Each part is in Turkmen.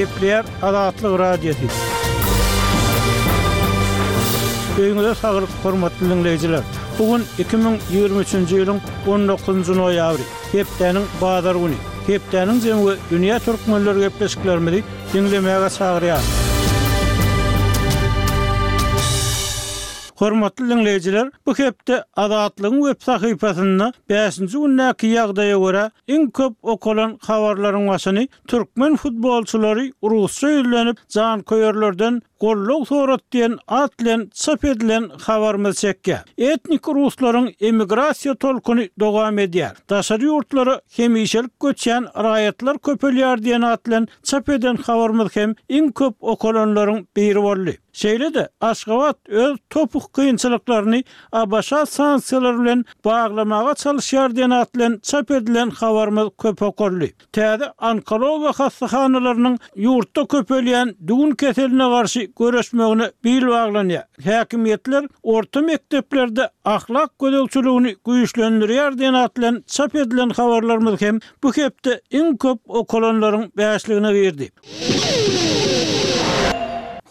Gepleýär Azatlyk Radiosy. Öýüňize saglyk, hormatly diňleýjiler! Bu gün 2023-nji ýylyň 19-njy noýabry, hepdäniň bazar güni. Hepdäniň jemi we dünýä türkmenleri gepleşiklerimizi diňlemäge çagyrýarys. Hormatly diňleýjiler, bu hepde Azatlygyň web sahypasynda bäşinji gündäki ýagdaýa görä iň köp okalan habarlaryň başyny Türkmen futbolçylary rusça ýüzlenip, janköýerlerden goldaw sorat diýen at bilen çap edilen habarymyz çekýär. Etnik ruslaryň emigrasiýa tolkuny dowam edýär. Daşary ýurtlara hemişelik göçýän raýatlar köpelýär diýen at bilen çap eden habarymyz hem iň köp okalanlaryň biri boldy. Şeýle-de, Aşgabat öz topuk kynçylyklaryny ABŞ sanksiýalary bilen baglamaga çalyşýar diýen at bilen çap edilen habarymyz köp okaldy. Täze onkologiýa hassahanalarynyň ýurtda köpelýän düwün keseline garşy göreşmegine bil baglanýar. Häkimiýetler orta mekdeplerde ahlak gözegçiligini güýçlendirýär diýen at bilen çap edilen habarlarymyz hem bu hepde iň köp okalanlaryň bäşligine girdi.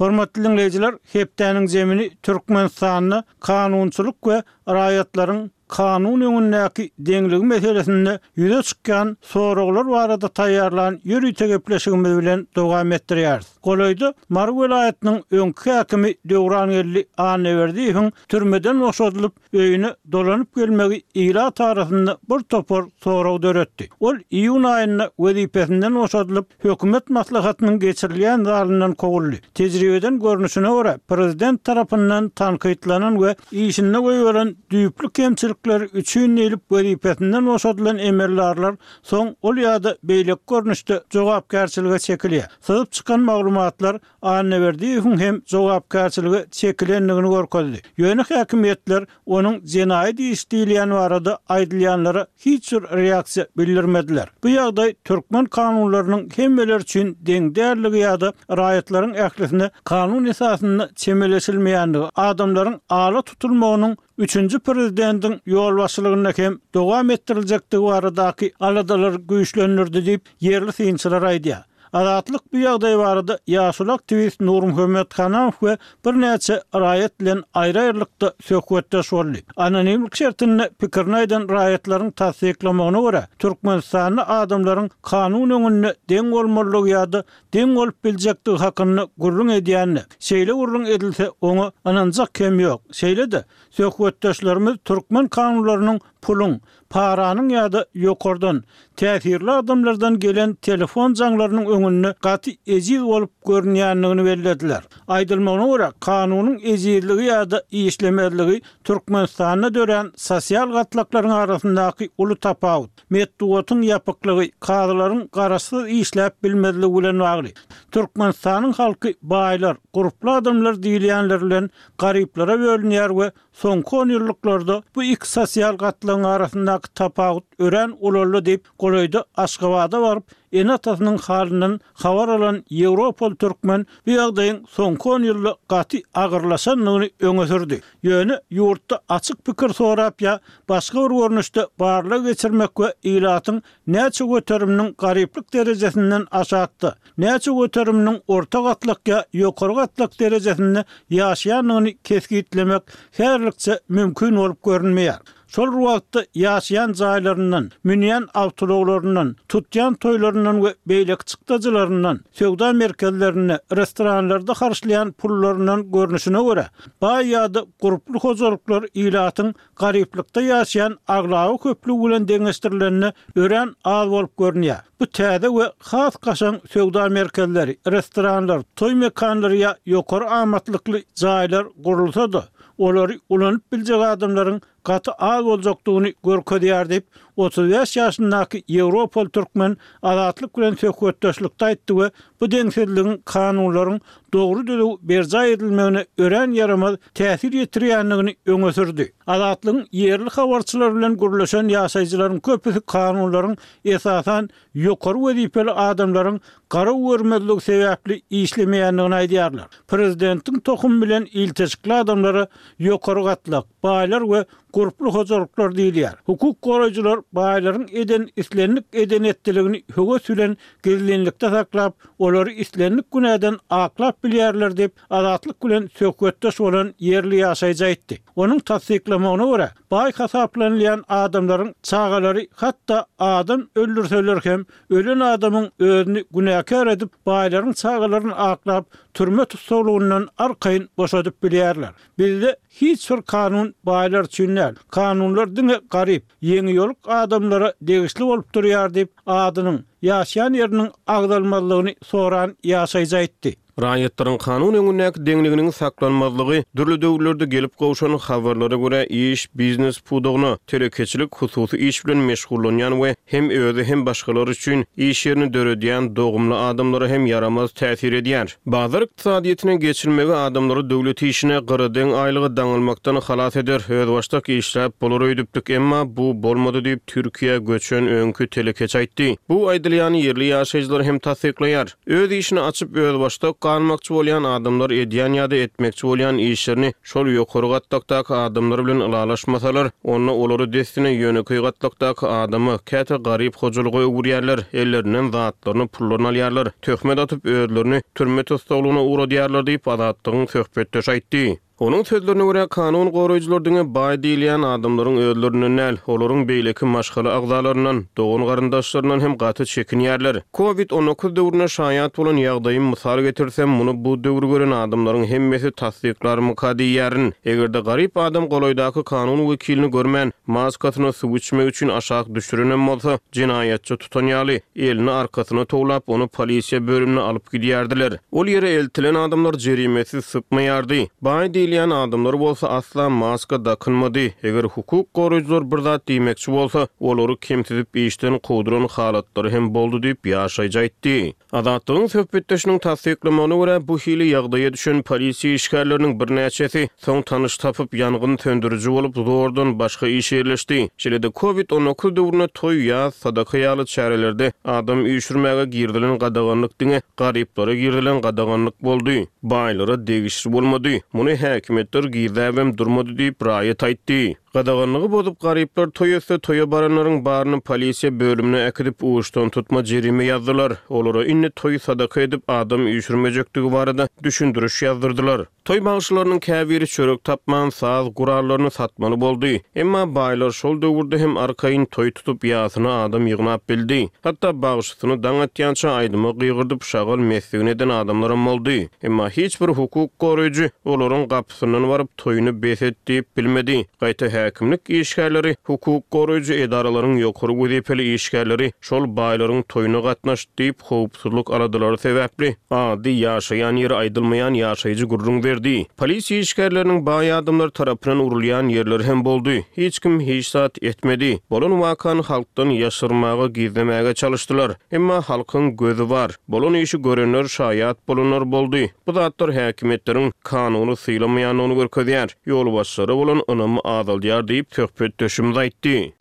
Hormatly diňleýjiler, hepdäniň jemini Türkmenistanda kanunçylyk we raýatlaryň kanun öňündäki deňligi meselesinde ýüze çykýan soraglar barada taýýarlan ýörite gepleşigimiz bilen dowam etdirýäris. Golaýda Mary welaýatynyň öňki häkimi Döwrangeldi Annaberdiýewiň türmeden boşadylyp, öýüne dolanyp gelmegi ilat arasynda bir topar sorag döretdi. Ol iýun aýynda wezipesinden boşadylyp, hökümet maslahatynyň geçirilýän zalyndan kowuldy. Tejribeden görnüşine görä, prezident tarapyndan tankytlanan we işinde goýberen düýpli kemçilikleri üçin diýlip wezipesinden boşadylan emeldarlar soň ol ýa-da beýleki görnüşde jogapkärçilige çekilýär. Syzyp çykan maglumatlar Annaberdiýewiň hem jogapkärçilige çekilendigini görkezdi. Ýöne häkimiýetler onuň jenaýat iş diýilýän barada aýdylýanlara hiç bir reaksiýa bildirmediler. Bu ýagdaý türkmen kanunlarynyň hemmeler üçin deň däldigi ýa-da raýatlaryň ählisine kanun esasynda çemeleşilmeýändigi, adamlaryň ala tutulmagynyň üçünji prezidentiň ýolbaşçylygynda hem dowam etdiriljekdigi baradaky aladalary güýçlendirdi diýip, ýerli synçylar aýdýar. Azatlyk bu ýagdaý barada ýaşuly aktiwist Nurmuhammet Hanamow we birnäçe raýat bilen aýry-aýrylykda söhbetdeş boldy. Anonimlik şertinde pikirini aýdan raýatlaryň tassyklamagyna görä, Türkmenistanda adamlaryň kanun öňünde deň bolmalydygy ýa-da deň bolup biljekdigi hakynda gürrüň edýände, şeýle gürrüň edilse, oňa ynanjak hem ýok. Şeýle-de, söhbetdeşlerimiz türkmen kanunlarynyň puluň, paranyň ýa-da ýokardan, täsirli adamlardan gelen telefon jaňlarynyň öňünde gaty ejiz bolup görünýändigini bellediler. Aýdylmagyna görä, kanunyň ejizligi ýa-da işlemezligi Türkmenistanda dörän sosial gatlaklaryň arasyndaky uly tapawut, metbugatyň ýapyklygy, kazylaryň garaşsyz işläp bilmezligi bilen bagly. Türkmenistanyň halky baýlar, gurply adamlar diýilýänler bilen garyplara bölünýär we Soňky onýyllyklarda bu iki sosial gatlagyň arasyndaky tapawut örän ulaldy diýip, golaýda Aşgabada baryp, ene-atasynyň halyndan habar alan ýewropaly türkmen bu ýagdaýyň soňky on ýylda gaty agyrlaşandygyny öňe sürdi. Ýöne ýurtda açyk pikir sorap ýa başga bir görnüşde barlag geçirmek we ilatyň näçe göteriminiň garyplyk derejesinden aşakda, näçe göteriminiň orta gatlak ýa ýokary gatlak derejesinde ýaşaýandygyny kesgitlemek häzirlikçe mümkin bolup görünmeýär. Şol bir wagtda ýaşaýan jaýlaryndan, münýän awtoulaglaryndan, tutýan toýlaryndan we beýleki çykdajylaryndan, söwda merkezlerinde, restoranlarda harçlaýan pullaryndan görnüşine görä, baý ýa-da gurply hojalyklar ilatyň garyplykda ýaşaýan aglaba köplügi bilen deňeşdirilende örän az bolup görünýär. Bu täze we has kaşaň söwda merkezleri, restoranlar, toý mekanlary ýa ýokary amatlykly jaýlar gurulsa-da, olary ulanyp biljek adamlaryň gaty az boljakdygyny görkezýär diýip, 35 ýaşyndaky ýewropaly türkmen Azatlyk bilen söhbetdeşlikde aýtdy we bu deňsizligiň kanunlaryň dogry-düzüw berjaý edilmegine örän ýaramaz täsir ýetirýändigini öňe sürdi. Azatlygyň ýerli habarçylary bilen gürleşen ýaşaýjylaryň köpüsi kanunlaryň esasan ýokary wezipeli adamlaryň garaw görmezligi sebäpli işlemeýändigini aýdýarlar. Prezidentiň tohumy bilen ilteşikli adamlara ýokary gatlak, baýlar we. gurply hojalyklar diýilýär. Hukuk goraýjylar baýlaryň eden islendik eden-etdiligini höwes bilen gizlinlikde saklap, olary islendik günäden aklap bilýärler diýip, Azatlyk bilen söhbetdeş bolan ýerli ýaşaýjy aýtdy. Onuň tassyklamagyna görä, baý hasaplanylýan adamlaryň çagalary hatda adam öldürseler hem, ölen adamyň özüni günäkär edip, baýlaryň çagalaryny aklap, türme tussaglygyndan arkaýyn boşadyp bilýärler. Bizde hiç bir kanun baýlar üçin däl. Kanunlar diňe garyp, ýeňiýoluk adamlara degişli bolup durýar diýip, adynyň, ýaşaýan ýeriniň agzalmazlygyny soran ýaşaýjy aýtdy. Raýatlaryň kanun öňündäki deňliginiň saklanmazlygy dürli döwürlerde gelip gowşan habarlara görä iş, biznes pudagyna, telekeçilik, hususy iş bilen meşgullanýan we hem özi hem başgalar üçin iş ýerini döredýän dogumly adamlara hem ýaramaz täsir edýär. Bazar ykdysadyýetine geçilmegi adamlary döwlet işine, gyradeň aýlyga daňylmakdan halas eder, özbaşdak işläp bolar öýdüpdik, emma bu bolmady diýip, Türkiýä göçen öňki telekeçi aýtdy. Bu aýdylýany ýerli ýaşaýjylar hem tassyklaýar. Öz işini açyp, özbaşdak galmakçy bolýan adamlar edýän ýa-da etmekçi bolýan işlerini şol ýokary gatlakdaky adamlar bilen ylalaşmasalar, onda olary dessine ýönekeý gatlakdaky adama, käte garyp hojalyga öwürýärler, ellerinden zatlaryny, pullaryny alýarlar, töhmet atyp, özlerini türme tussaglygyna ugradýarlar diýip, Azatlygyň söhbetdeşi aýtdy. Onuň sözlerine görä, kanun goraýjylar diňe baý diýilýän adamlaryň özlerinden däl, olaryň beýleki maşgala agzalaryndan, dogan-garyndaşlaryndan hem gaty çekinýärler. Covid 19 döwründe şaýat bolan ýagdaýym mysal getirsem, muny bu döwri gören adamlaryň hemmesi tassyklarmyka diýýärin. Eger-de garyp adam golaýdaky kanun wekilini görmän, maskasyny suw içmek üçin aşak düşürenem bolsa, jenaýatçy tutan ýaly, elini arkasyna towlap, ony polisiýa bölümine alyp gidýärdiler. Ol ýere eltilen adamlar jerimesiz sypmaýardy. Baý diýilýän adamlar bolsa asla maska dakynmady. Eger hukuk goraýjylar bir zat diýmekçi bolsa, olary kemsidip işden kowduran halatlary hem boldy diýip, ýaşaýjy aýtdy. Azatlygyň söhbetdeşiniň tassyklamagyna görä, bu hili ýagdaýa düşen polisiýa işgärleriniň birnäçesi soň tanyş tapyp, ýangyn söndüriji bolup, zordan başga işe ýerleşdi. Şeýle-de, Covid 19 döwründe toý, ýas, sadaka ýaly çärelerde adam üýşürmäge girizilen gadaganlyk diňe garyplara girizilen gadaganlyk boldy, baýlara degişli bolmady. Muny häkimiýetler gizläbem durmady diýip, raýat aýtdy. Gadaganlygy bozup, garyplar toý etse, toýa baranlaryň baryny polisiýa bölümine äkidip, uçdantutma jerime ýazdylar. Olara indi toý sadaka edip, adam üýşürmejekdigi barada düşündiriş ýazdyrdylar. Toý bagşylarynyň käbiri çörek tapman, saz gurallaryny satmaly boldy. Emma baýlar şol döwürde hem arkaýyn toý tutup, ýasyna adam ýygnap bildi. Hatda bagşysyny daň atýança aýdyma gygyrdyp, şagal mesligini eden adamlaram boldy. Emma hiç bir hukuk goraýjy olaryň gapysyndan baryp, toýuny bes et diýip bilmedi. Gaýta häkimlik işgärleri, hukuk goraýjy edaralaryň ýokary wezipeli işgärleri şol baýlaryň toýuna gatnaşdy diýip, howpsuzlyk aladalary sebäpli ady, ýaşaýan ýeri aýdylmaýan ýaşaýjy gürrüň berdi. Polisiýa işgärleriniň baý adamlar tarapyndan urulýan ýerleri hem boldy. Hiç kim hiç zat etmedi. Bolan wakany halkdan ýaşyrmaga, gizlemäge çalyşdylar. Emma halkyň gözi bar. Bolan işi görenler, şaýat bolanlar boldy. Bu zatlar häkimiýetleriň kanuny sylamaýandygyny görkezýär, ýolbaşçylara bolan ynamy azaldýar diýip, söhbetdeşimiz aýtdy.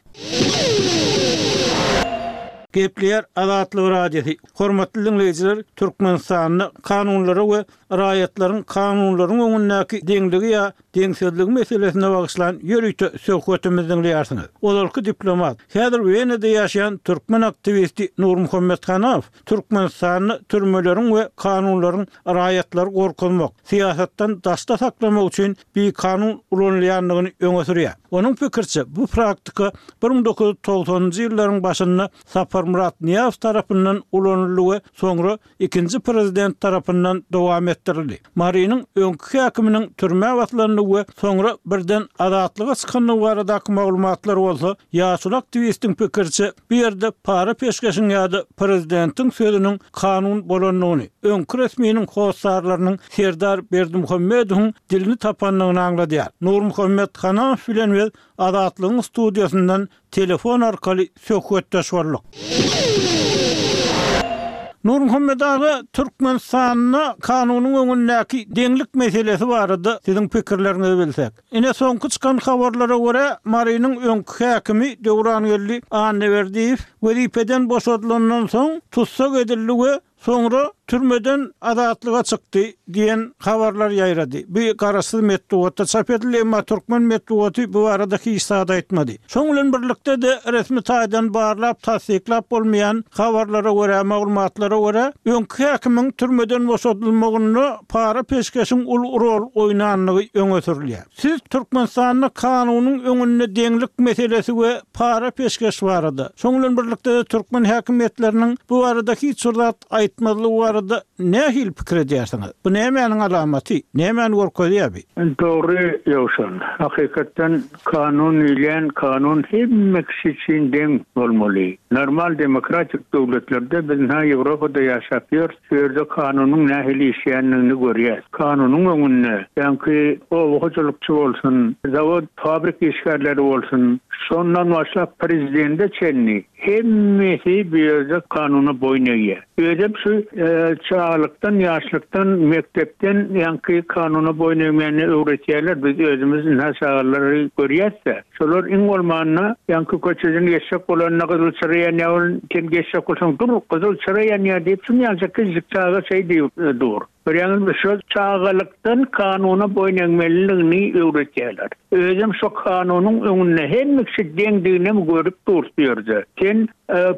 Gepleýär Azatlyk Radiosy, Hormatly diňleýjiler, Türkmenistanda kanunlara we raýatlaryň kanunlaryň öňündäki deňligi ýa deňsizligi meselesine bagyşlan ýörite söhbetimizi diňleýärsiňiz. Ozalky diplomat, häzir Wenada ýaşaýan türkmen aktiwisti Nurmuhammet Hanaw Türkmenistanda türmeleriň we kanunlaryň raýatlary gorkuzmak, syýasatdan daşda saklamak üçin bikanun ulanylýandygyny öňe sürýär. Onuň pikiriçe, bu praktika 1990-njy ýyllaryň başynda Saparmyrat Nyýazow tarapyndan ulanyldy we soňra ikinji prezident tarapyndan dowam etdirildi. Marynyň öňki häkiminiň türmä basylandygy we soňra birden azatlyga çykandygy baradaky maglumatlar bolsa, ýaşuly aktiwistiň pikiriçe, bu ýerde para-peşgeşiň ýa-da prezidentiň sözüniň kanun bolandygyny, öňki resminiň hossarlarynyň Serdar Berdimuhamedowyň dilini tapandygyny aňladýar. Nurmuhammet Hanamow bilen biz Azatlygyň studiýasyndan telefon arkaly söhbetdeş bolduk. Nurmuhammet aga, Türkmenistanda kanunyň öňündäki deňlik meselesi barada siziň pikirleriňizi bilsek. Ine, soňky çykan habarlara görä, Marynyň öňki häkimi Döwrangeldi Annaberdiýew wezipeden boşadylandan soň tussag edildi we soňra türmeden azatlyga çykdy diýen habarlar ýaýrady. Bu garaşsyz metbugatda çap edildi, emma türkmen metbugaty bu barada hiç zat aýtmady. Şoň bilen birlikde-de resmi taýdan barlap, tassyklap bolmaýan habarlara görä, maglumatlara görä, öňki häkimiň türmeden boşadylmagynda para-peşgeşiň uly rol oýnandygy öňe sürülýär. Siz Türkmenistanda kanunyň öňünde deňlik meselesi we para-peşgeş barada, şoň bilen birlikde-de türkmen häkimiýetleriniň bu barada hiç bir zat aýtmazlygy barada nähili pikir edýärsiňiz? Bu nämäniň alamaty? Nämäni görkezýär bi? Dogry Ýowşan. Hakykatdan kanun diýilýän kanun hemme kişi üçin deň bolmaly. Normal demokratik döwletlerde biz ynha Ýewropada ýaşap ýörüs, şu ýerde kanunyň nähili işleýändigini görýäs. Kanunyň öňünde ýaňky oba hojalykçy bolsun, zawod, fabrik işgärleri bolsun, şondan başlap prezidende çenli Hemmesi bu ýerde kanuna boýun egýär. Özem şu çagalykdan, ýaşlykdan, mekdepden ýaňky kanuna boýun egmäni öwretýärler. Biz özümiz ynha çagalary görýäs-de. Şolar iň bolmanda ýaňky köçeden geçjek bolanda gyzyl çyra ýanýar welin, sen geçjek bolsaň, dur, gyzyl çyra ýanýar diýip, şunýaljak kiçijik çaga şeý diýip dur. Görýäňizmi, şol çagalykdan kanuna boýun egmeliligini öwretýärler. Özem şo kanunyň öňünde hemme kişi deňdiginem görüp dur şu ýerde. Sen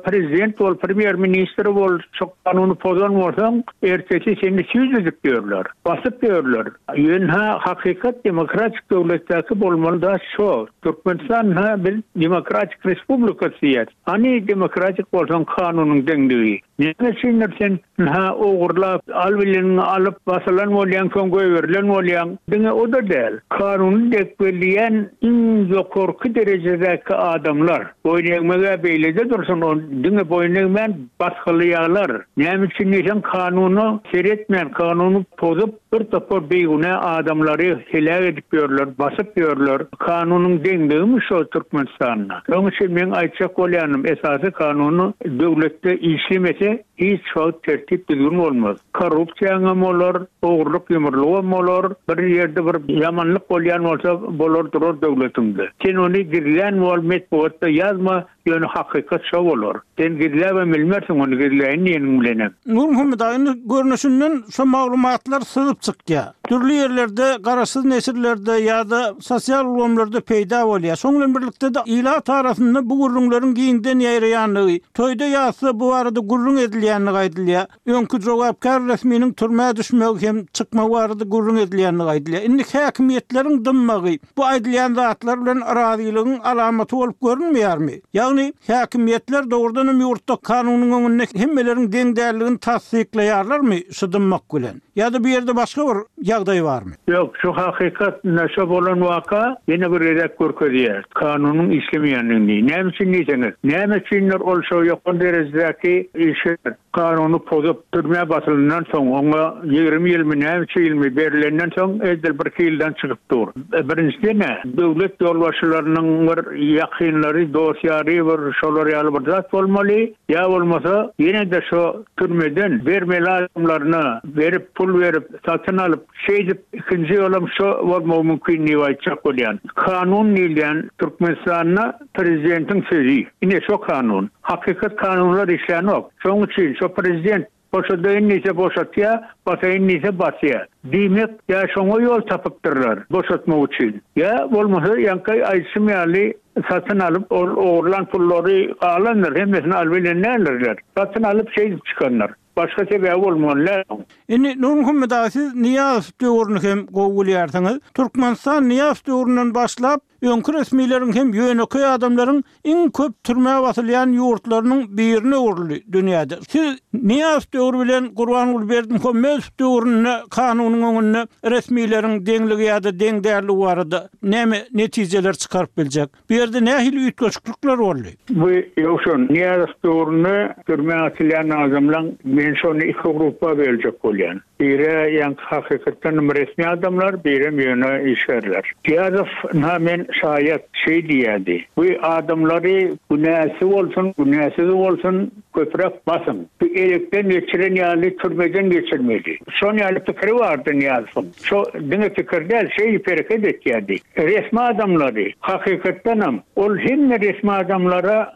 prezident bol, premýer ministr bol, şo kanuny pozan bolsaň, ertesi seni süýt edip ýörler, basyp ýörler. Ýöne hakykat demokratik döwletdäki bolmaly zat şo. Türkmenistan ha biz demokratik respublikasy diýýäs. Hany demokratik bolsaň kanunyň deňligi? Näme üçindir sen ynha ogurlap, al bileniňi alyp, basylan bolýaň, soň goýberilen bolýaň. Diňe o-da däl, kanuny depgeleýän iň ýokarky derejedäki adamlar, boýun egmeg-ä beýlede dursun, ony diňe boýun egmän basgylaýarlar. Näme üçin diýseň, kanuna seretmän, kanuny pozup, Bir topar bigünä adamlary heläk edip ýörler, basyp ýörler. Kanunyň deňligimi şo Türkmenistanda? Şoň üçin meň aýtjak bolýanym esasy kanuny döwletde işlemese hiç wagt tertip düzgün bolmaz. Korrupsiýaňam bolar, ogurlyk ýumurlygam bolar, bir ýerde bir ýamanlyk bolýan bolsa bolar durar döwletiňde. Sen ony gizlän bol metbugatda ýazma Ýöne hakykat şo bolar. Sen gizläbem bilmersiň ony gizläýin diýeniň bilenem. Nurmuhammet aga indi görnüşinden şo maglumatlar syzyp çykýar. Dürli ýerlerde garaşsyz neşirlerde ýa-da sosial ulgamlarda peýda bolýar. Şoň bilen birlikde-de ilat arasynda bu gürrüňleriň giňden ýaýraýandygy, toýda-ýasda bu barada gürrüň edilýändigi aýdylýar. Öňki jogapkär resminiň türmä düşmegi hem çykmagy barada gürrüň edilýändigi aýdylýar. Indi häkimiýetleriň dymmagy bu aýdylýan zatlar bilen razylygyň alamaty bolup görünmeýärmi? Ýagny, häkimiýetler dogrudan hem ýurtda kanunyň öňünde hemmeleriň deň däldigini tassyklaýarlarmy şu dymmak bilen? Ýa-da bu ýerde başga bir ýagdaý barmy? Ýok, şu hakykat, ine şo bolan waka ýene bir gezek görkezýär, kanunyň işlemeýändigini. Näme üçin diýseňiz, näme üçindir ol şo ýokary derejedäki işgär kanuny pozup, türmä basylandan soň, oňa 20 ýylmy, näçe ýylmy berlenden soň edil birki ýyldan çykyp dur. Birinjiden-ä, döwlet ýolbaşçylarynyň bir ýakynlary, dost-ýary bir şolar ýaly bir zat bolmaly, ýa bolmasa ýene-de şo türmeden bermeli adamlaryna berip, pul berip, satyn alyp, şeýdip ikinji ýolam şo bolmagy mümkin diýip aýtjak bolýan. Kanun diýilýän Türkmenistanda prezidentiň sözi. Ine şo kanun. Hakykat kanunlar işlänok. Şoň üçin şo prezident boşadaýyn diýse boşatýa, basaýyn diýse basýa. Diýmek, ýa şoňa ýol tapypdyrlar boşatmak üçin. Ýa bolmasa ýaňky aýdyşym ýaly satyn alyp ol ogurlan pullary galandyr, hemmesini alybilen däldirler. Satyn alyp şeýdip çykandyr. Başga sebäbi bolmaly däl oň. Indi Nurmuhammet aga siz Nyýazow döwrüni hem gowy bilýärsiňiz. Türkmenistan Nyýazow döwründen başlap öňki resmileriň hem ýönekeý adamlaryň iň köp türmä basylýan ýurtlarynyň birine öwrüldi dünýäde. Siz Nyýazow döwri bilen Gurbanguly Berdimuhamedow döwründe kanunyň öňünde resmileriň deňligi ýa-da deň dälligi barada näme netijeler çykaryp biljek? Bu ýerde nähili üýtgeşiklikler boldy? Bu Ýowşan, Nyýazow döwründe türmä atylýan adamlaň men şony iki grupba böljek bolýan. Biri ýaňky hakykatdanam resmi adamlar, birem ýöne işgärler. Nyýazow ynha men şaýat, şeý diýýärdi, Bu adamlary günäsi bolsun, günäsizi bolsun köpräk basyň. Bu elekden geçiren ýaly türmeden geçirmeli. Şon ýaly pikiri bardy Nyýazowyň. Şo diňe pikir däl, şeýdip hereket etýärdi. Resmi adamlary, hakykatdanam, ol hemme resmi adamlara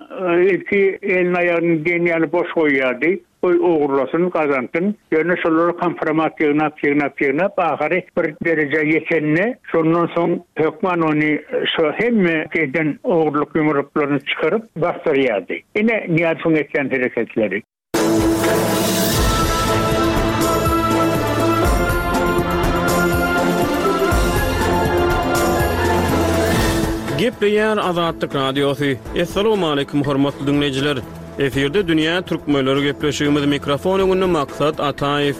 ilki elini-aýagyny diýen ýaly boş goýýardy. Goý ogurlasyn, gazansyn. Ýöne şolara kompromat ýygnap, ýygnap, ýygnap, ahyry bir derejä ýetende, şondan soň hökman ony şo hemme eden ogurlyk-ýumruklaryny çykaryp basdyrýardy. Ine, Nyýazowyň etýän hereketleri. Gepleýär Azatlyk Radiosy. Assalamualaikum hormatly diňleýjiler. Efirde dünýä türkmenleri gepleşigimiz mikrofon öňünde Maksat Ataýew.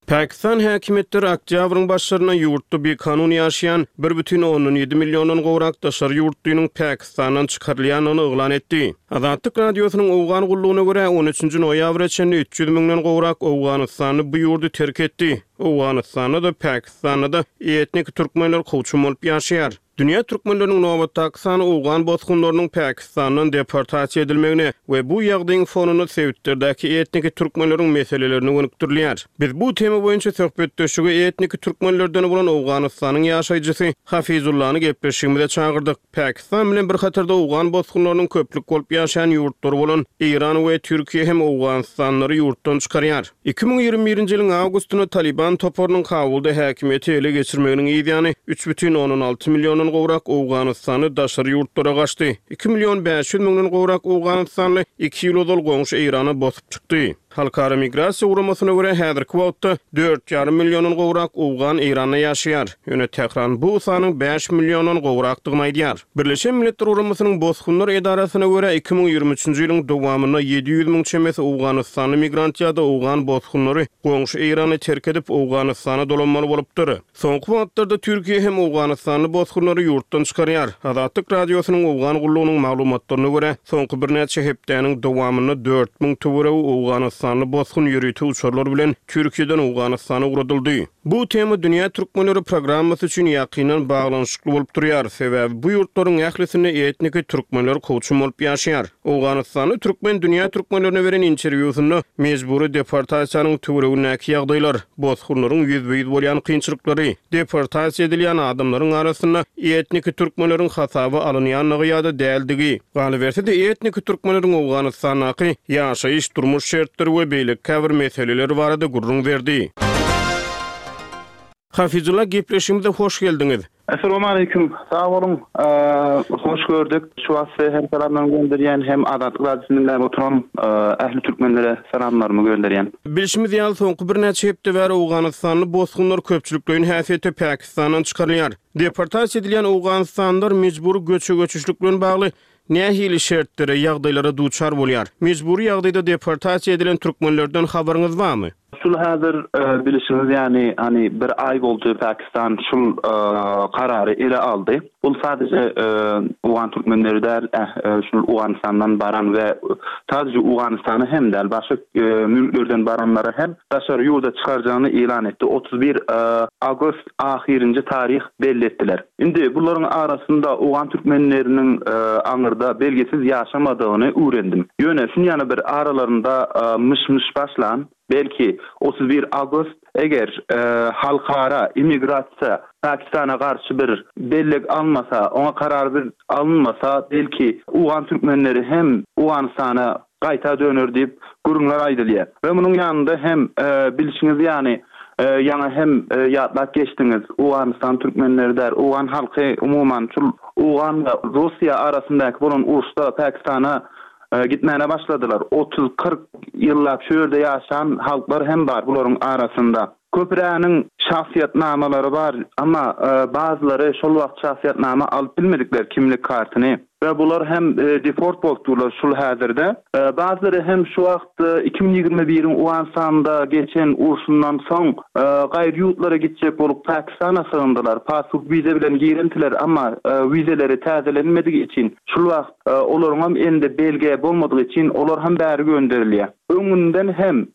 Pakistan häkimiýetleri oktýabryň başlarynda ýurtda bikanun ýaşaýan 1,7 milliondan gowrak daşary ýurtlynyň Pakistandan çykarylýandygyny yglan etdi. Azatlyk Radiosynyň Owgan gullugyna görä, on üçünji noýabra çenli 300 müňden gowrak owganystanly bu ýurdy terk etdi. Owganystanda-da, Pakistanda-da etnik türkmenler kowçum bolup ýaşaýar. Dünýä türkmenleriniň nobatdaky sany owgan bosgunlarynyň Pakistandan deportasiýa edilmegine we bu ýagdaýyň fonunda sebitlerdäki etniki türkmenleriň meselelerine gönükdirilýär. Biz bu tema boýunça söhbetdeşlige etniki türkmenlerden bolan Owganystanyň ýaşaýjysy Hafizullany gepleşigimize çagyrdyk. Pakistan bilen bir hatarda owgan bosgunlarynyň köplük bolup ýaşaýan ýurtlary bolan Eýran we Türkiýe hem owganystanlylary ýurtdan çykarýar. 2021-nji ýylyň awgustynda Talyban toparynyň Kabulda häkimiýeti ele geçirmeginiň yz ýany, 3,6 milliondan gowrak owganystanly daşary ýurtlara gaçdy. 2 million 500 müňden gowrak owganystanly iki ýyl ozal goňşy Eýrana bosup çykdy. Halkara Migrasiýa guramasyna görä, häzirki wagtda dört ýarym milliondan gowrak owgan Eýranda ýaşaýar. Ýöne Tähran bu sanyň bäş milliondan gowrakdygyny aýdýar. Birleşen Milletler Guramasynyň Bosgunlar edarasyna görä, 2023-nji ýylyň dowamynda 700 müň çemesi owganystanly migrant ýa-da owgan bosgunlary goňşy Eýrany terk edip, Owganystana dolanmaly bolupdyr. Soňky wagtlarda Türkiýe hem owganystanly bosgunlary ýurtdan çykarýar. Azatlyk Radiosynyň Owgan gullugynyň maglumatlaryna görä, soňky birnäçe hepdäniň dowamynda 4000 töweregi owganystanly bosgun ýörite uçarlar bilen Türkiýeden Owganystana ugradyldy. Bu tema Dünýä türkmenleri programmasy üçin ýakyndan baglanyşykly bolup durýar, sebäbi bu ýurtlaryň ählisinde etniki türkmenler kowçum bolup ýaşaýar. Owganystanly türkmen dünýä türkmenlerine beren interwýusynda mejbury deportasiýanyň töweregindäki ýagdaýlar, bosgunlaryň ýüzbe-ýüz bolýan kynçylyklary, deportasiýa edilýän adamlaryň arasynda etniki türkmenleriň hasaba alynýandygy ýa-da däldigi, galyberse-de etniki türkmenleriň Owganystandaky ýaşaýyş, durmuş şertleri we beýleki käbir meseleler barada gürrüň berdi. Hafizulla gepleşigimize hoş geldiňiz. Essalawmaleýkim. Sag boluň. Hoş gördük. Şu wagt size hem salamlarymy gönderýän hem Azatlyk Radiosyny diňläp oturan ähli türkmenlere salamlarymy gönderýän. Bilşimiz ýaly soňky birnäçe hepde bäri owganystanly bosgunlar köpçülikleýin häsiýetde Pakistandan çykarylýar. Deportasiýa edilýän owganystanlylar mejbury göçe-göçüşlik bilen bagly nähili şertlere, ýagdaýlara duçar bolýar? Mejbury ýagdaýda deportasiýa edilen türkmenlerden habaryňyz barmy? Şul häzir bilişiňiz ýaly hany bir aý boldy Pakistan şul karary ele aldy. Bul sadece owgan türkmenleri däl şul Owganystandan baran we sadece Owganystana hem däl başga mülklerden baranlara hem daşary ýurda çykarjagyny yglan etdi. 31 awgust ahyrynjy taryh belli etdiler. Indi bularyň arasynda owgan türkmenleriniň aňyrda belgisiz ýaşamadygyny öwrendim. Ýöne şunýana bir aralarynda myş-myş başlan, belki, 31 awgust, eger halkara immigrasiýa Pakistana garşy bir bellik almasa, oňa karar bir alynmasa, belki, owgan türkmenleri hem Owganystana gaýta döner diýip gürrüňler aýdylýar. We munuň ýanynda hem bilşiňiz ýaly ýaňy hem ýatlap geçdiňiz, Owganystan türkmenleri däl, owgan halky umuman şul owgan we Russiýa arasyndaky bolan uruşda Pakistana gitmäne başladylar. Otuz-kyrk ýyllap şu ýerde ýaşan halklar hem bar bularyň arasynda. Köpüräniň şahsyýetnamalary bar, emma bazylary şol wagt şahsyýetnama alyp bilmedikler kimlik kartyny we bular hem deport bolup durlar şul häzirde. Bazylary hem şu wagt 2021-iň Owganystanda geçen urşundan soň gaýry ýurtlara gitjek bolup Pakistana sygyndylar. Pasport wiza bilen girentiler, emma wizeleri täzelenmedigi üçin şul wagt olaryňam elinde belge bolmadygy üçin olar hem bäri gönderilýär. Öňünden hem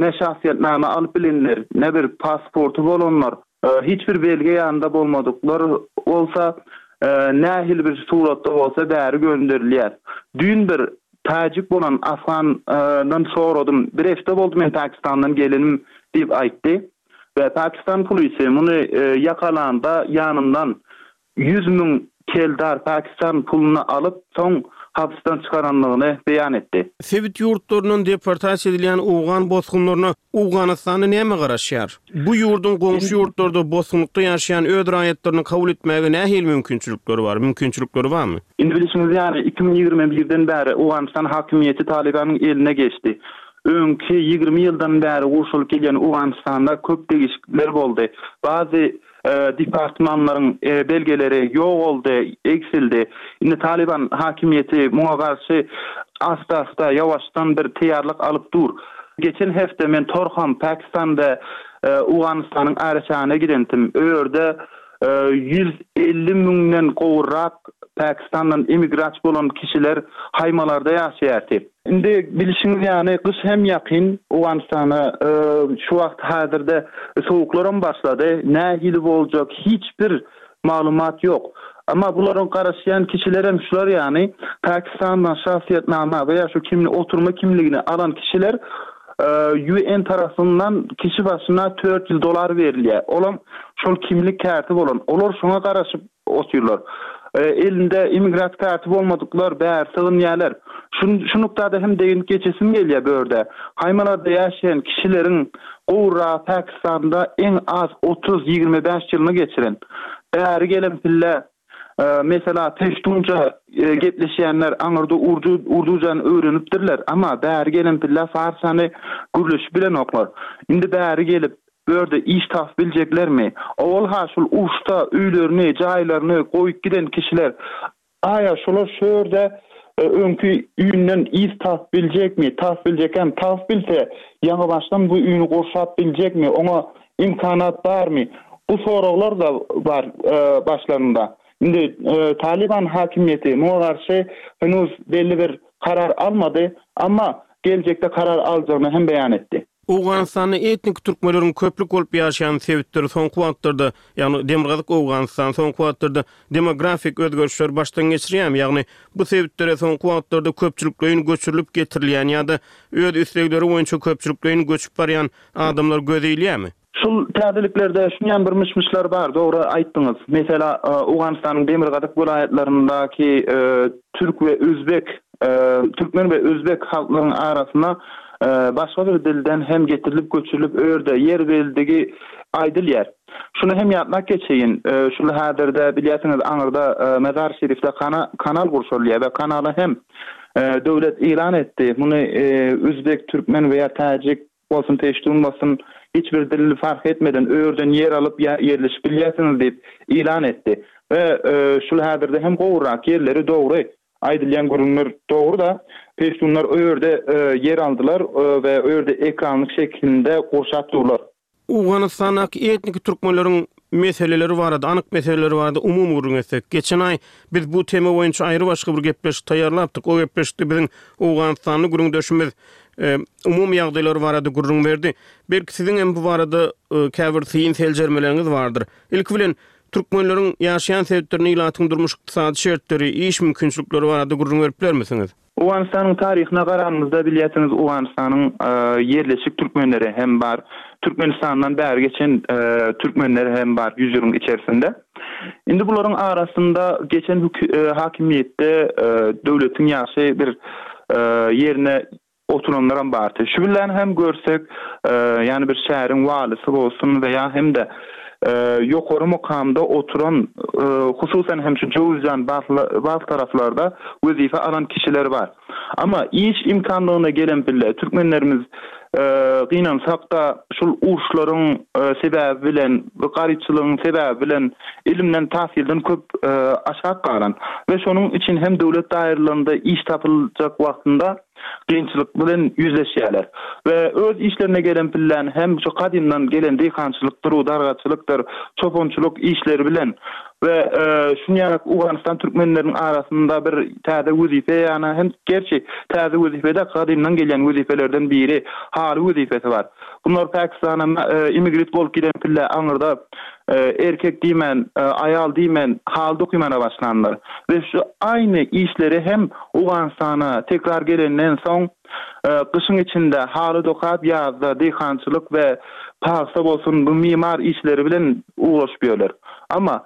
ne şahsyýetnama alyp bilenler, ne bir pasporty bolanlar, hiç bir belge ýanynda bolmadyklar bolsa, nähili bir suratda bolsa bäri gönderilýär. Düýn bir täjik bolan afgandan soradym, bir hepde boldy men Pakistandan gelenim diýip aýtdy we Pakistan polisi muny ýakalanda ýanyndan. 100 000 keldar Pakistan puluny alyp, soň hapsdan çykarandygyny beýan etdi. Sebit ýurtlaryndan deportasiýa edilýän owgan bosgunlaryna Owganystanda näme garaşýar? Bu ýurduň goňşy ýurtlarda bosgunlykda ýaşaýan öz raýatlaryny kabul etmäge nähili mümkinçilikleri bar? Mümkinçilikleri barmy? Indi bilşiňiz ýaly, 2021-den bäri Owganystan hakimiýeti Talybanyň eline geçdi. Öňki 20 ýyldan bäri gurşalyp gelýän Owganystanda köp degişiklikler boldy. Bazy departmanlaryň belgeleri ýogaldy, egsildi. Indi Talyban hakimiýeti muňa garşy asta-asta, ýawaşdan bir taýýarlyk alyp dur. Geçen hepde men Torham, Pakistan we Owganystanyň araçägine gidentim. O ýerde 150 müňden gowrak Pakistandan emigrasiýa bolan kişiler haýmalarda ýaşaýardy. Indi bilşiňiz ýaly gyş hem ýakyn Owganystana şu wagt häzirde sowuklaram başlady. Nähili boljak hiç bir maglumat ýok. Emma bularyň garaşýan kişilerem şular ýaly Pakistandan şahsyýetnama we ýa şu kimli oturma kimligini alan kişiler UN tarapyndan kişi başyna 400 dolar berilýär. Olam şol kimlik karty bolan. Olar şoňa garaşyp otyrlar. Elinde immigrant karty bolmadyklar bäri sygynýarlar. Şu şu nuktada hem deginip geçesim gelýär bu ýerde. Haýmalarda ýaşaýan kişileriň gowragy Pakistanda iň az otuz, 25 ýylyny geçiren. Bäri gelen pille mesela peştunça gepleşýänler aňyrda urdu urdujany öwrenipdirler. Amma bäri gelen pille farsçany gürleşip bilenoklar. Indi bäri gelip Bu ýerde iş tapyp biljeklermi? Owal-ha şol uruşda öýlerini, jaýlaryny goýup giden kişiler, aýa şolar şu ýerde öňki üýünden yz tapyp biljekmi? Tapyp biljekkäm, tapyp bilse, ýaňybaşdan bu üýüni gurşap biljekmi? Oňa imkanat barmy? Bu soraglar-da bar başlarynda. Indi Talyban hakimiýeti muňa garşy henuz belli bir karar almady, amma geljekde karar aljagyny hem beýan etdi. Owganystanda etnik türkmenleriň köplük bolup ýaşaýan sebitleri soňky wagtlarda, ýagny Demirgazyk Owganystan soňky wagtlarda demografik özgerişleri başdan geçirýärmi? Ýagny bu sebitlere soňky wagtlarda köpçülikleýin göçürilip getirilýän ýa-da öz islegleri boýunça köpçülikleýin göçüp barýan adamlar göze ilýärmi? Şul täzeliklerde şunýan bir myş-myşlar bar, dogry aýtdyňyz. Mesela, Owganystanyň demirgazyk welaýatlaryndaky türk we özbek, türkmen we özbek halklaryň arasynda başga bir dilden hem getirilip göçürilip o ýerde ýer berildigi aýdylýar. Şuny hem ýatlap geçeýin, şul häzirde bilýärsiňiz aňyrda Mazar-Şerifde kanal gurşalýar we kanala hem döwlet yglan etdi. Muny özbek, türkmen we ýa täjik bolsun peştun bolsun hiç bir dil fark etmeden örden ýer alyp ýa ýerleşip bilýärsiňiz diýip ýylan etdi we şul häzirde hem gowurak ýerleri dogry aýdylýan gürrüňler dogry-da peştunlar o ýerde ýer aldylar we o ýerde ekranlyk şekilinde gurşap durlar. Owganystandaky etniki türkmenleriň meseleleri barada, anyk meseleleri barada umumy gürrüň etsek. Geçen aý biz bu tema boýunça aýry-başga bir gepleşik taýýarlapdyk. O gepleşikde biziň owganystanly gürrüňdeşimiz umumy ýagdaýlar barada gürrüň berdi. Belki siziň hem bu barada käbir syn seljermeleriňiz bardyr. Ilki bilen, türkmenleriň ýaşaýan sebitlerinde ilatyň durmuş-ykdysady şertleri, iş mümkinçilikleri barada gürrüň berip bilermisiňiz? Owganystanyň taryhyna garanymyzda bilýärsiňiz Owganystanyň ýerleşik türkmenleri hem bar. Türkmenistandan bäri geçen türkmenler hem bar ýüz ýylyň içerisinde. Indi bularyň arasynda geçen hakimiýetde döwletiň ýagşy bir ýerine oturanlaram bardy. Şu bilen hem görsek, ýagny bir şäheriň walysy bolsun we ýa hem-de ýokary mukamda oturan, hususan hem şu Jöwüzjan Balh taraplarda wezipe alan kişiler bar. Amma iş imkanlygyna gelen pille türkmenlerimiz gynansak-da şul uruşlaryň sebäbi bilen, garypçylygyň sebäbi bilen ilimden, tahsyldan köp aşak galan we şonuň üçin hem döwlet daýralarynda iş tapyljak wagtynda kynçylyk bilen ýüzleşýärler we öz işlerine gelen pilläni hem şu gadymdan gelen diýhançylykdyr, dargaçylykdyr, çopançylyk işleri bilen we şunýarak Owganystan türkmenleriniň arasynda bir täze wezipe ýana hem gerçi täze wezipe-de gadymdan gelýän wezipelerden biri haly wezipesi bar. Bunlar Pakistana imigrit bolup giden pille aňyrda erkek diýmän, aýal diýmän haly dokymana başlanlar we şu aýny işleri hem Owganystana tekrar gelenden soň gyşyň içinde haly dokap ýazda diýhançylyk we pagsa bolsun bu mimar işleri bilen ugraşyp ýörler. Amma.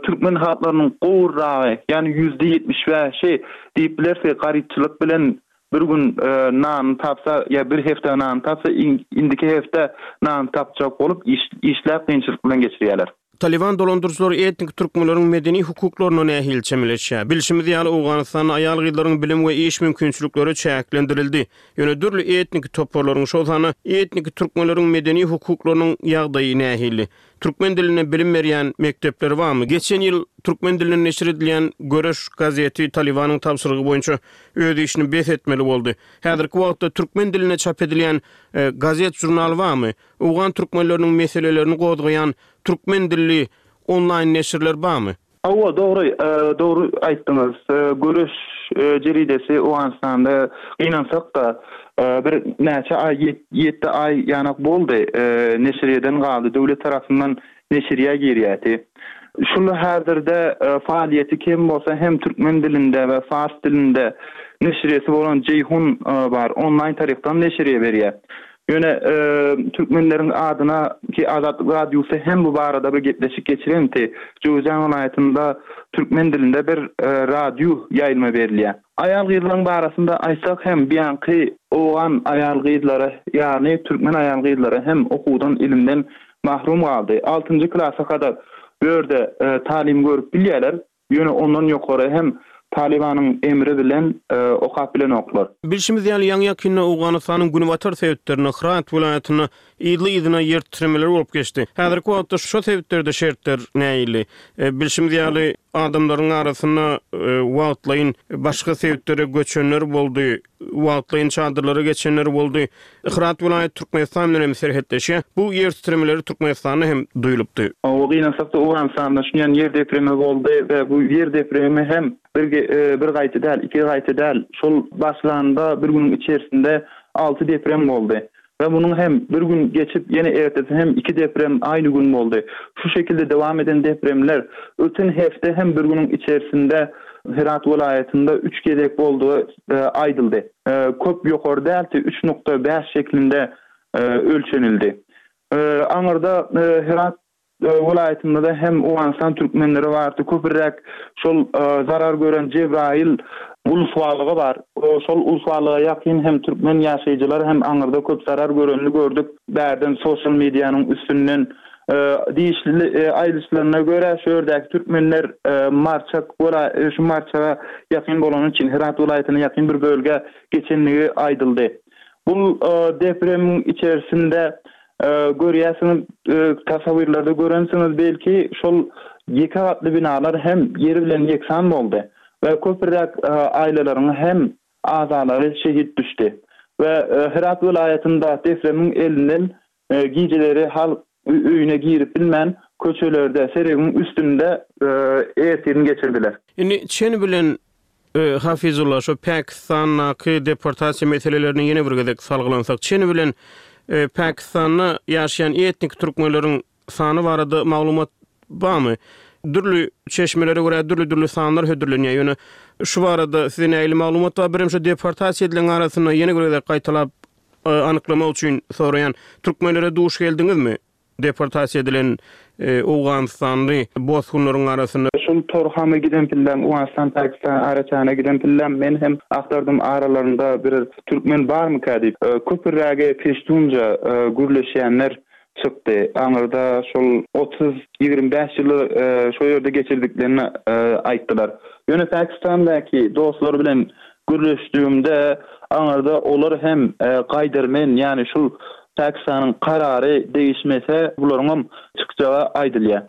Türkmen halklarynyň gowurragy, ýagny 75%-i diýip bileris garypçylyk bilen bir gün nanyny tapsa ýa bir hepde nanyny tapsa indiki hepde nanyny tapjak bolup işläp kynçylyk bilen geçirýärler. Talyban dolandyryjylary etniki türkmenleriň medeni hukuklaryna nähili çemeleşýär? Bilşimiz ýaly, Owganystanda aýal-gyzlaryň bilim we iş mümkinçilikleri çäklendirildi. Ýöne dürli etniki toparlaryň, şol sanda etniki türkmenleriň medeni hukuklarynyň ýagdaýy nähili? Türkmen dilinde bilim berýän mekdepler barmy? Geçen ýyl türkmen dilinde neşir edilýän Göreş gazeti Talybanyň tabşyrygy boýunça öz işini bes etmeli boldy. Häzirki wagtda türkmen dilinde çap edilýän gazet-žurnal barmy? Owgan türkmenleriniň meselelerini gozgaýan türkmen dilli onlaýn neşirler barmy? Hawa, dogry, dogry aýtdyňyz. Göreş jeridesi Owganystanda gynansak-da, bir näçe aý, ýetdi aý ýanak boldy, neşirýeden galdy, döwlet tarapyndan neşirýä girýärdi. Şul häzirde faaliýeti kem bolsa hem türkmen dilinde we fars dilinde neşirýesi bolan Jeýhun bar, onlaýn tarykdan neşirýe berýär. Ýöne türkmenleriň adyna ki Azatlyk Radiosy hem bu barada bir gepleşik geçirenti. Jöwüzjan welaýatynda türkmen dilinde bir radio ýaýlyma berilýär. Aýal-gyzlaryň barasynda aýtsak hem biýanky owgan aýal-gyzlary ýagny türkmen aýal-gyzlary hem okuwdan ilimden mahrum galdy. Altynjy klasa kadar bu ýerde talim görüp bilýärler. Ýöne ondan ýokary hem Talybanyň emri bilen okap bilenoklar. Bilşimiz ýaly, ýaňy-ýakynda Owganystanyň günbatar sebitlerinde, Hyrat welaýatynda yzly-yzyna ýer titremeler bolup geçdi. Häzirki wagtda şo sebitlerde şertler nähili? Bilşimiz ýaly, adamlaryň arasynda wagtlaýyn başga sebitlere göçenler boldy, wagtlaýyn çadyrlara geçenler boldy. Hyrat welaýaty Türkmenistan bilen hem serhetleşýär. Bu ýer titremeleri Türkmenistanda hem duýulypdy. Hawa, gynansak-da Owganystanda şunýan ýer depremi boldy we bu ýer depremi hem bir bir gaýta däl, iki gaýta däl, şol başlanda bir günüň içerisinde alty deprem boldy. We munuň hem bir gün geçip ýene ertesi hem iki deprem aýny gün boldy. Şu şekilde dowam eden depremler öten hepde hem bir günüň içerisinde Hyrat welaýatynda üç gezek boldugy aýdyldy. Köp ýokary däldi, 3.5 şeklinde ölçenildi. Aňyrda Hyrat welaýatynda-da hem Owganystan türkmenleri bardy. Köpüräk şol zarar gören Jebraýyl uluswalygy bar. Şol uluswalyga ýakyn hem türkmen ýaşaýjylary hem aňyrda köp zarar görenini gördük. Bärden sosial medianyň üstünden Degişli aýdyşlaryna görä, şu ýerdäki türkmenler Marçak şu Marçaga ýakyn bolany üçin Herat welaýatyna ýakyn bir bölgä geçenligi aýdyldy. Bu depremiň içerisinde görýärsiňiz, tasawirlerde görensiňiz belki, şol ýeke gatly binalar hem ýer bilen ýeksan boldy we köpräk aýlalaryň hem azalary şehit düşdi we Herat welaýatynda depremiň elinden Gijeleri halk öýüne girip bilmän, köçelerde, seregiň üstünde ertirini geçirdiler. Indi çen bilen Hafizulla, şo Pakistandaky deportasiýa meselelerine ýene bir gezek salgylansak, çen bilen Pakistanda ýaşaýan etniki türkmenleriň sany barada maglumat barmy? Dürli çeşmelere görä dürli-dürli sanlar hödürlenýär, ýöne şu barada size nähili maglumat bar? Birem şo deportasiýa edilen arasynda ýene bir gezek gaýtalap Anyklamak üçin soraýan, türkmenlere duş geldiňizmi? Deportasiýa edilen owganystanly bosgunlaryň arasynda. Şol Torhama giden pillem, Owganystan Pakistan araçägine giden pillem, men hem agtardym aralarynda bir türkmen barmyka diýip. Köpürägi peştunça gürleşýänler çykdy. Aňyrda şol 30, 25 ýyly şo ýerde geçirdiklerini aýtdylar. Ýöne Pakistandaky dostlar bilen gürleşdigimde aňyrda olar hem gaýdarmen, ýagny şul Pakistanyň karary degişmese bularyňam çykjagy aýdylýar.